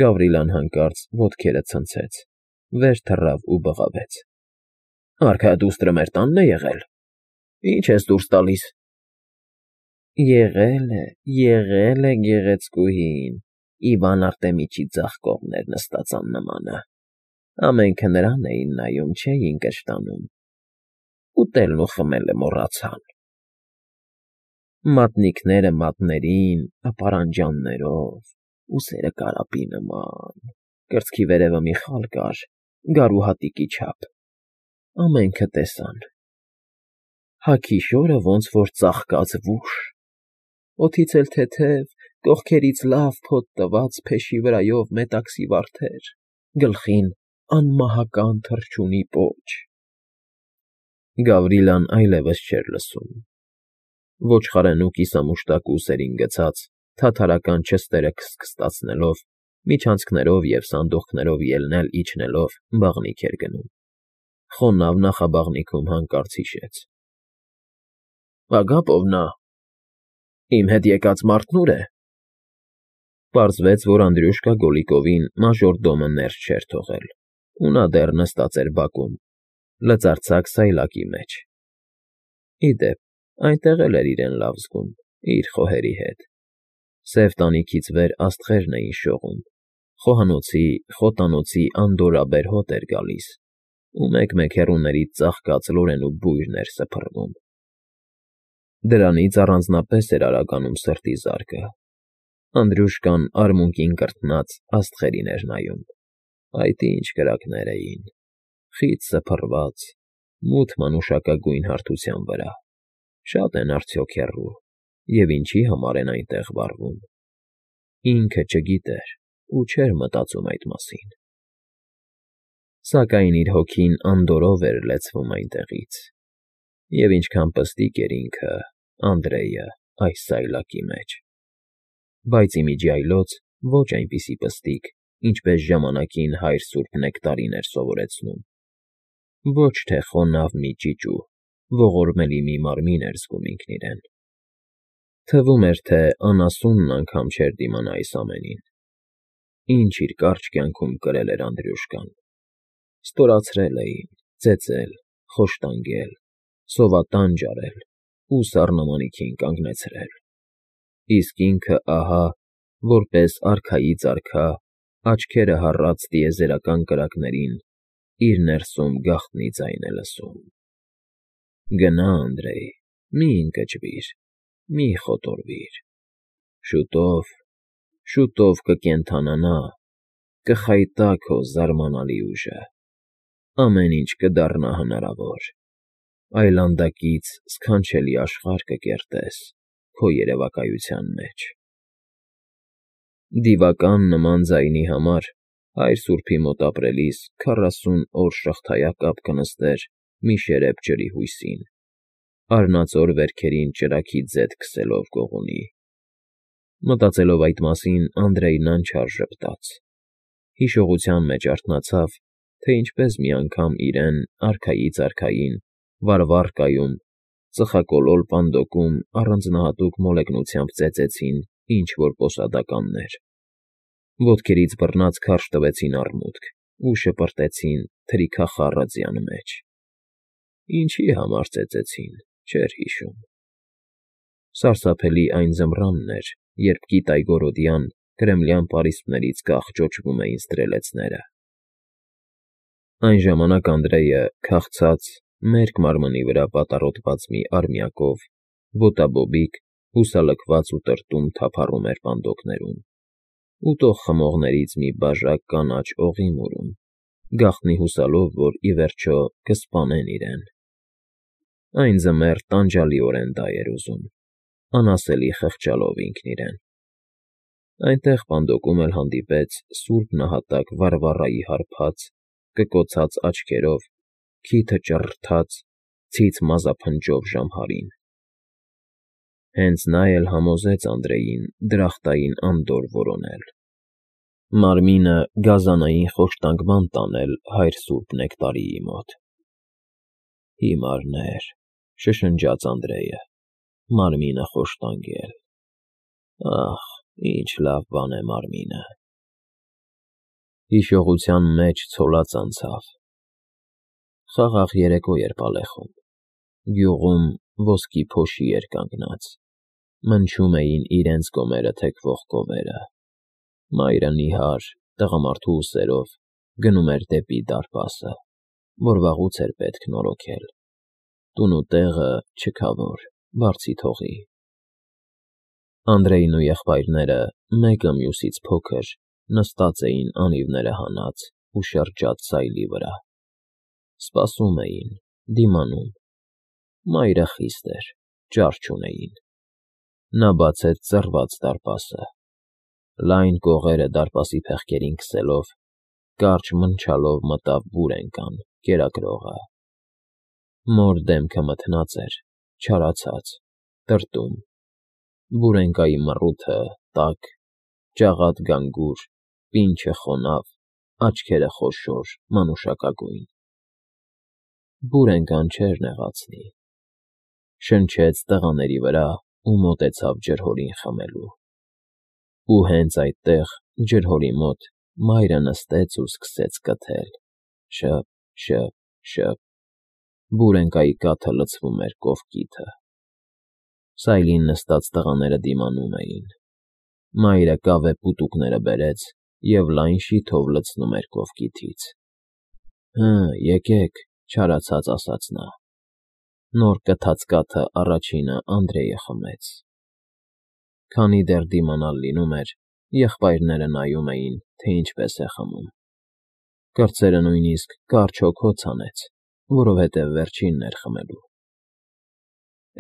Գավրիլան հանկարծ ոտքերը ցնցեց, վեր թռավ ու բղավեց. ֊ Արքայադուստրը մեր տա՞նն է եղել, ի՞նչ ես դուրս տալիս։ Եղել է գեղեցկուհին, Իվան Արտեմիչի ձախ կողմն էր նստած աննմանը, ամենքը նրան էին նայում, չէին կշտանում, ուտելն ու խմելը մոռացան։ Մատնիկները մատներին, ապարանջաններով, ուսերը կարապի նման, կրծքի վերևը մի խալ կար, գարու հատիկի չափ, ամենքը տեսան։ Հագի շորը ոնց որ ծաղկած վուշ, օդից էլ թեթև, կողքերից լավ փոթ տված փեշի վրայով մետաքսի վարդեր, գլխին անմահական թռչունի պոչ։ Գավրիլան այլևս չէր լսում։ Ոչխարն ու կիսամուշտակ ուսերին գցած, թաթարական չստերը քստքստացնելով, միջանցքներով և սանդուղքներով ելնել֊իջնելով բաղնիք էր գնում։ Խոնավ նախաբաղնիքում հանկարծ հիշեց. Ագապ ով նա, իմ հետ եկած մարդն ուր է։ Պարզվեց, որ Անդրյուշկա Գոլիկովին մաժորդոմը ներս չէր թողել, ու նա դեռ նստած էր բակում, լծարձակ սայլակի մեջ։ Ի դեպ, այնտեղ էլ էր իրեն լավ զգում, իր խոհերի հետ։ Սև տանիքից վեր աստղերն էին շողում, խոհանոցի, խոտանոցի անդորրաբեր հոտ էր գալիս, ու մեկ֊մեկ հեռուներից ծաղկած լորենու բույրն էր սփռվում։ Դրանից առանձնապես էր արագանում սրտի զարկը։ Անդրյուշկան արմունկին կրտնած աստղերին էր նայում, այդ ինչ կրակներ էին, խիտ սփռված, մութ մանուշակագույն հարթության վրա, շատ են արդյոք հեռու, և ինչի համար են այնտեղ վառվում։ Ինքը չգիտեր ու չէր մտածում այդ մասին։ Սակայն իր հոգին անդորրով էր լեցվում այնտեղից, և ինչքան պստիկ էր ինքը, Անդրեյը, այս սայլակի մեջ, բայց ի միջի այլոց ոչ այնպիսի պստիկ, ինչպես ժամանակին հայր սուրբ Նեկտարին էր սովորեցնում, ոչ թե խոնավ մի ճիճու, ողորմելի մի մարմին էր զգում ինքն իրեն։ Թվում էր, թե անասունն անգամ չէր դիմանա այս ամենին, ինչ իր կարճ կյանքում կրել էր Անդրյուշկան։ Ստորացրել էին, ծեծել, խոշտանգել, սովատանջ արել ու սառնամանիքին կանգնեցրել։ Իսկ ինքը ահա, որպես արքայից արքա, աչքերը հառած տիեզերական կրակներին, իր ներսում գաղտնի ձայն է լսում. «Գնա, Անդրեյ, մի ընկճվիր, մի խոտորվիր, շուտով կկենդանանա, կխայտա քո զարմանալի ուժը, ամեն ինչ կդառնա հնարավոր, այլանդակից սքանչելի աշխարհ կկերտես քո երևակայության մեջ»։ Դիվական նման ձայնի համար հայր սուրբի մոտ ապրելիս 40 օր շղթայակապ կնստեր մի շերեփ ջրի հույսին, արնածոր վերքերին ճրագի ձեթ քսելով գողունի։ Մտածելով այդ մասին, Անդրեյն անչափ ժպտաց, հիշողության մեջ արթնացավ, թե ինչպես մի անգամ իրեն արքայից արքային վարվառկայում, ծխակոլոր պանդոկում առանձնահատուկ մոլեգնությամբ ծեծեցին ինչ֊որ պոսադականներ, ոտքերից բռնած քարշ տվեցին արմունկ ու շպրտեցին թրիքախառը ձյան մեջ։ Ինչի համար ծեծեցին, չէր հիշում։ Սարսափելի այն ձմռանն էր, երբ կիտայգորոդյան կրեմլյան պարիսպներից կախ ճոճվում էին ստրելեցները։ Այն ժամանակ Անդրեյը, քաղցած, մերկ մարմնի վրա պատառոտված մի արմյակով, ոտաբոբիկ, հուսալքված ու տրտում թափառում էր պանդոկներում, ուտող խմողներից մի բաժակ կանաչ օղի մուրում, գաղտնի հուսալով, որ ի վերջո կսպանեն իրեն։ Այն ձմեռ տանջալիորեն դա էր ուզում, անասելի խղճալով ինքն իրեն։ Այնտեղ պանդոկում էլ հանդիպեց սուրբ նահատակ Վարվառայի հարբած, կկոցած աչքերով, քիթը ճռռթած, ցից մազափնջով ժամհարին։ Հենց նա էլ համոզեց Անդրեյին դրախտային անդորր որոնել, մարմինը գազանային խոշտանգման տանել հայր սուրբ Նեկտարիի մոտ։ Հիմարներ, շշնջաց Անդրեյը, մարմինը խոշտանգել, ախ, ինչ լավ բան է մարմինը։ Հիշողության մեջ ցոլած անցավ։ Խաղաղ երեկո էր Ալեխում։ Գյուղում ոսկի փոշի էր կանգնած։ Մնչում էին իրենց կոմերը թեքվող կովերը։ Մայրը նիհար, տղամարդու ուսերով գնում էր դեպի դարպասը, որ վաղուց էր պետք նորոգել։ Տուն ու տեղը չքավոր, բարձի թողի։ Անդրեյն ու եղբայրները մեկը մյուսից փոքր նստած էին անիվները հանած ու շրջած սայլի վրա։ Սպասում էին, դիմանում։ Մայրը խիստ էր, ճար չունեին։ Նա բացեց ծռված դարպասը։ Լայն կողերը դարպասի փեղկերին քսելով, կարճ մնչալով մտավ բուրենկան, կերակրողը։ Մոր դեմքը մթնած էր, չարացած, տրտում։ Բուրենկայի մռութը տաք, ջաղատ գանգուր, պինչը խոնավ, աչքերը խոշոր, մանուշակագույն։ Բուրենկան չէր նեղացնի։ Շնչեց տղաների վրա ու մոտեցավ ջրհորին խմելու։ Ու հենց այդտեղ, ջրհորի մոտ, մայրը նստեց ու սկսեց կթել. շըp, շըp, շըp։ Բուրենկայի կաթը լցվում էր կողկիթը։ Սայլին նստած տղաները դիմանում էին։ Մայրը կավե պուտուկները բերեց և լայն շիթով լցնում էր կողկիթից։ Հը, եկեք, չարացած ասաց նա։ Նոր կթած կաթը առաջինը Անդրեյը խմեց։ Քանի դեռ դիմանալ լինում էր, եղբայրները նայում էին, թե ինչպես է խմում։ Կրտսերը նույնիսկ կարճ հոգոց հանեց, որովհետև վերջինն էր խմելու։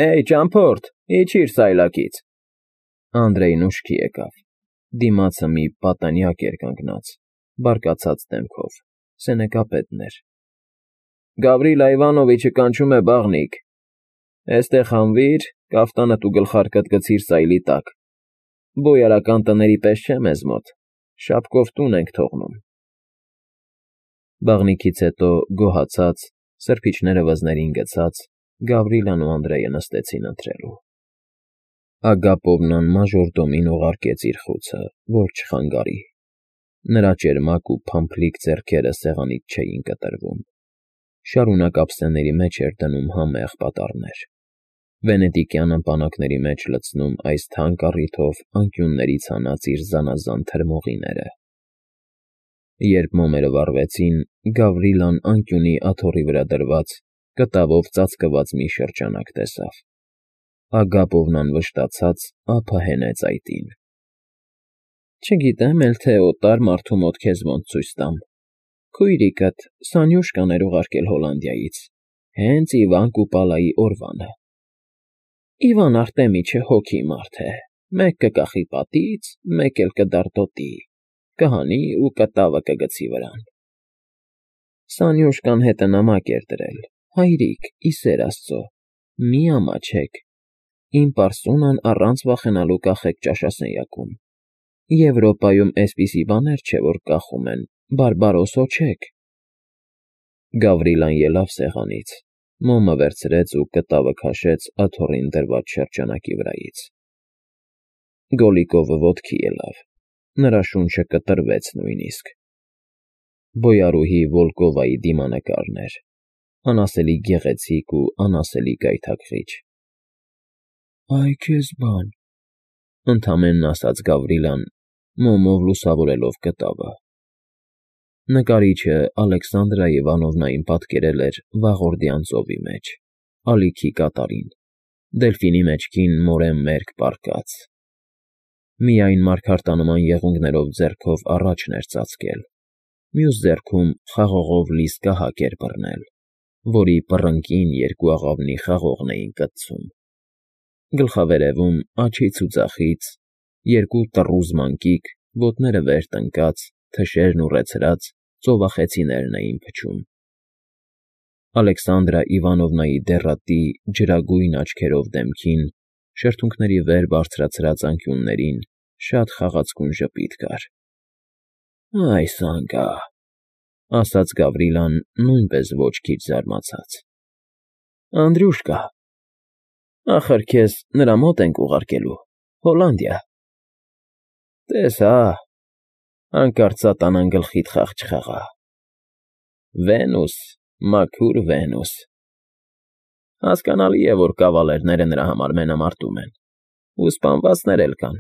Էյ, ճամփորդ, իջիր սայլակից։ Անդրեյն ուշքի եկավ։ Դիմացը մի պատանյակ էր կանգնած, բարկացած դեմքով, սենեկապետն էր։ Գավրիլա Իվանովիչը կանչում է բաղնիք։ Էստեղ հանվիր, կաֆտանդ ու գլխարկդ գցիր սայլի տակ։ Բոյարական տների պես չէ մեզ մոտ, շապկով տուն ենք թողնում։ Բաղնիքից հետո գոհացած, սրբիչները վզներին գցած, Գավրիլան ու Անդրեյը նստեցին ընթրելու։ Ագապովնան մաժորդոմին ուղարկեց իր խուցը, որ չխանգարի։ Նրա ճերմակ ու փամփլիկ ձեռքերը սեղանից չէին կտրվում։ Շարունակ ափսեների մեջ էր դնում համեղ պատառներ։ Վենետիկյան ըմպանակների մեջ լցնում այս թանկ առիթով անկյուններից հանած իր զանազան թրմողիները։ Երբ մոմերը վառվեցին, Գավրիլան անկյունի աթոռի վրա դրված, կտավով ծածկված մի շրջանակ տեսավ։ Ագապովնան վշտացած ափը հենեց այտին։ Չգիտեմ էլ թե օտար մարդու մոտ քեզ ոնց ցույց տամ։ Քույրիկդ Սանյուշկան էր ուղարկել Հոլանդիայից, հենց Իվան Կուպալայի օրվանը։ Իվան Արտեմիչը հոգի մարդ է, մեկ կկախի պատից, մեկ էլ կդարտոտի, կհանի ու կտավը կգցի վրան։ Սանյուշկան հետը նամակ էր դրել. հայրիկ, ի սեր Աստծո, մի ամաչեք, իմ պարսունան առանց վախենալու կախեք ճաշասենյակում։ Եվրոպայում էսպիսի բաներ չէ, որ կախում են, բարբարոսո չեք։ Գավրիլան ելավ սեղանից, մոմը վերցրեց ու կտավը քաշեց աթոռին դրված շրջանակի վրայից։ Գոլիկովը ոտքի ելավ, նրա շունչը կտրվեց նույնիսկ։ Բոյարուհի Վոլկովայի դիմանկարն էր, անասելի գեղեցիկ ու անասելի գայթակղիչ։ Այ քեզ բան, ընդամենն ասաց Գավրիլան, մոմով լուսավորելով կտավը։ Նկարիչը Ալեքսանդրա Իվանովնային պատկերել էր վաղորդյան ծովի մեջ, ալիքի կատարին, դելֆինի մեջքին մորեն մերկ պառկած։ Միայն մարգարտանման եղունգներով ձեռքով առաջն էր ծածկել, մյուս ձեռքում խաղողով լի զգահակ էր բռնել, որի պռնկին երկու աղավնի խաղողն էին կծում։ Գլխավերևում աջից ու ձախից երկու տռուզ մանկիկ, ոտները վեր տնկած, թշերն ուռեցրած ծովախեցիներն էին փչում։ Ալեքսանդրա Իվանովնայի դեռատի ջրագույն աչքերով դեմքին, շրթունքների վեր բարձրացրած անկյուններին շատ խաղացկուն ժպիտ կար։ Այս անգա, ասաց Գավրիլան նույնպես ոչ քիչ զարմացած։ Անդրյուշկա, ախր քեզ նրա մոտ ենք ուղարկելու, Հոլանդիա։ Տես հա, Հանկարծ սատանան գլխիդ խաղ չխաղա։ Վենուս, մաքուր Վենուս… Հասկանալի է, որ կավալերները նրա համար մենամարտում են, ու սպանվածներ էլ կան։